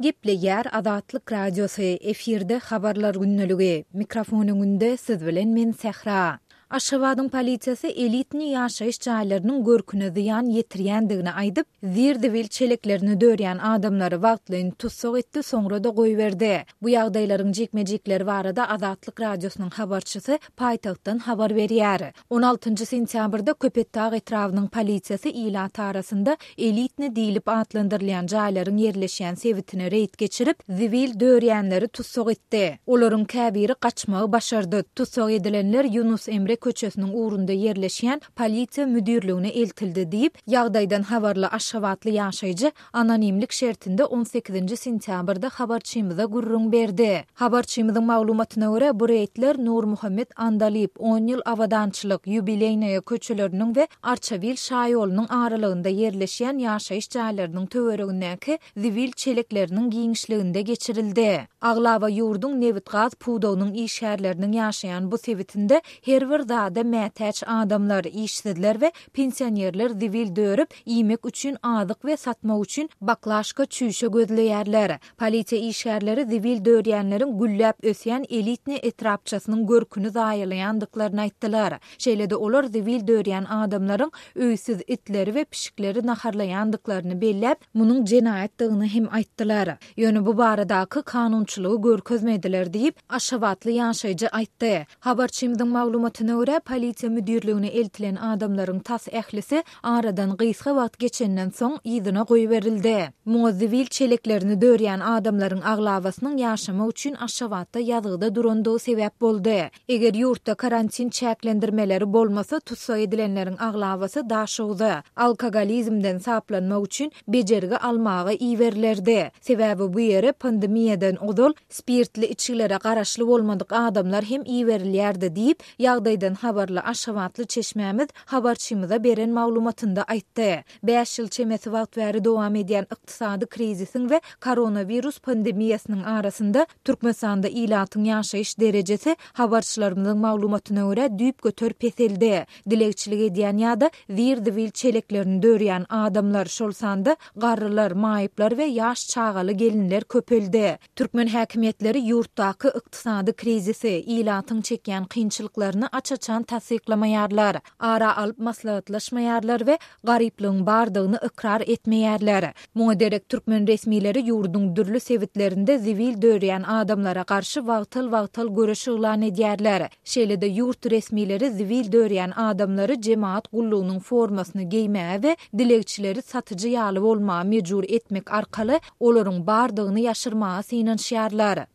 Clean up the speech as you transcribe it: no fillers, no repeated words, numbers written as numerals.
Gepleýär Azatlyk Radiosy, efirde Habarlar gündeligi. Mikrofon öňünde siz bilen men Sähra. Aşgabadyň polisiýasy elitniý ýaşaýyş jaýlarynyň görküne zyýan ýetirýändigini aýdyp, zir-zibil çeleklerini dörýän adamlary wagtlaýyn tussag etdi, soňra-da goýberdi. Bu ýagdaýlaryň jikme-jikleri barada Azatlyk Radiosynyň habarçysy paýtagtdan habar berýär. On altynjy sentýabrda Köpetdag etrabynyň polisiýasy ilat arasynda elitni diýlip atlandyrylýan jaýlaryň ýerleşýän sebitine reýd geçirip, zibil dörýänleri tussag etdi. Olaryň käbiri gaçmagy başardy. Tussag edilenler Ýunus Emre köçesiniň ugrunda ýerleşýän polisiýa müdirligine eltildi diýip, ýagdaýdan habarly aşgabatly ýaşaýjy anonimlik şertinde on sekizinji sentýabrda habarçymyza gürrüň berdi. Habarçymyzyň maglumatyna görä, bu reýdler Nurmuhammet Andalyp, On ýyl abadançylyk, Ýubileýnaýa köçeleriniň we Arçabil şaýolunyň aralygynda ýerleşýän ýaşaýyş jaýlarynyň töweregindäki zibil çelekleriniň giňişliginde geçirildi. Aglaba ýurduň nebit-gaz pudagynyň işgärleriniň ýaşaýan bu sebitinde her bir zada mätäç adamlar, işsizler we Pensionerler zibil dörüp, iýmek üçin azyk we satmak üçin baklaşka çüýşe gözleýärler. Polisiýa işgärleri zibil dörýänleriň gülläp ösýän elitnyý etrapçasynyň görküni zaýalaýandyklaryny aýtdylar. Şeýle-de olar zibil dörýän adamlaryň öýsüz itleri we pişikleri naharlaýandyklaryny belläp, munuň jenaýatdygyny hem aýtdylar. Ýöne bu baradaky kanunçylygy görkezmediler diýip, aşgabatly ýaşaýjy aýtdy. Habarçymyzyň maglumatyna görä, polisiýa müdirligine eltilen adamlaryň tas ählisi aradan gysga wagt geçenden soň yzyna goýberildi. Muňa zibil çeleklerini dörýän adamlaryň aglabasynyň ýaşamak üçin Aşgabatda ýazgyda durandygy sebäp boldy. Eger ýurtda karantin çäklendirmeleri bolmasa, tussag edilenleriň aglabasy Daşoguza, alkogolizmden saplanmak üçin bejergi almaga iberilerdi. Sebäbi bu ýere pandemiýadan ozal spirtli içgilere garaşly bolmadyk adamlar hem iberilýärdi diýip, ýagdaýdan habarly aşgabatly çeşmämiz habarçymyza beren maglumatynda aýtdy. Bäş ýyl çemesi wagt bäri dowam edýän ykdysady krizisiň we koronawirus pandemiýasynyň arasynda Türkmenistanda ilatyň ýaşaýyş derejesi, habarçylarymyzyň maglumatyna görä, düýpgöter peseldi. Dilegçilik edýän ýa-da zir-zibil çeleklerini dörýän adamlar, şol sanda garrylar, maýyplar we ýaş çagaly gelinler köpeldi. Türkmen häkimiýetleri ýurtdaky ykdysady krizisi, ilatyň çekýän kynçylyklaryny aç-açan tassyklamaýarlar, ara alyp maslahatlaşmaýarlar we garyplygyň bardygyny ykrar etmeýärler. Muňa derek türkmen resmileri ýurduň dürli sebitlerinde zibil dörýän adamlara garşy wagtal-wagtal göreş yglan edýärler. Şeýle-de ýurt resmileri zibil dörýän adamlary jemagat gullugynyň formasyny geýmäge we dilegçileri satyjy ýaly bolmaga mejbur etmek arkaly olaryň bardygyny ýaşyrmaga synanyşýarlar.